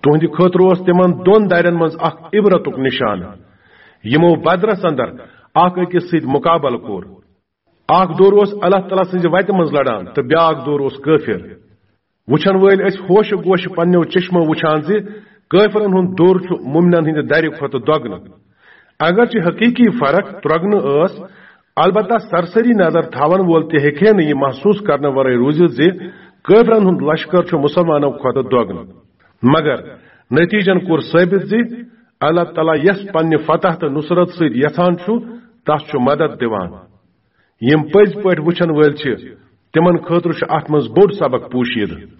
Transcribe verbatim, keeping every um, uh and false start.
تُہنٛدِ خٲطرٕ اوس تِمن دۄن دَرٮ۪ن منٛز اکھ عبرتُک نِشانہٕ، یِمو بدرس اندر اکھ أکِس سۭتۍ مُقابلہٕ کوٚر۔ اکھ دور اوس اللہ تعالیٰ سٕنٛزِ وتہِ منٛز لڑان تہٕ بیاکھ دور اوس کٲفِر۔ وٕچھن وٲلۍ ٲسۍ ہوشہِ گوشہِ پننیو چشمو وٕچھان زِ کٲفرن ہُنٛد دور چھُ مُمنن ہٕنٛدِ دَرِ کھۄتہٕ دۄگنہٕ۔ اگرچہِ حقیقی فرق ترۄگنہٕ ٲس، البتہ سرسری نظر تھاون وول تہِ ہیٚکہِ ہے نہٕ یہِ محسوس کرنہٕ ورٲے روٗزِتھ زِ کٲفرن ہُنٛد لشکر چھُ مُسلمانو کھۄتہٕ دۄگنہٕ۔ مگر نتیجن کوٚر ثٲبت زِ اللہ تعالیٰ یس پننہِ فتح تہٕ نصرت سۭتۍ یژھان چھُ، تس چھُ مدد دِوان۔ یِم پٔزۍ پٲٹھۍ وٕچھن وٲلۍ چھِ، تِمن خٲطرٕ چھُ اتھ منٛز بوٚڑ سبق پوشیدٕ۔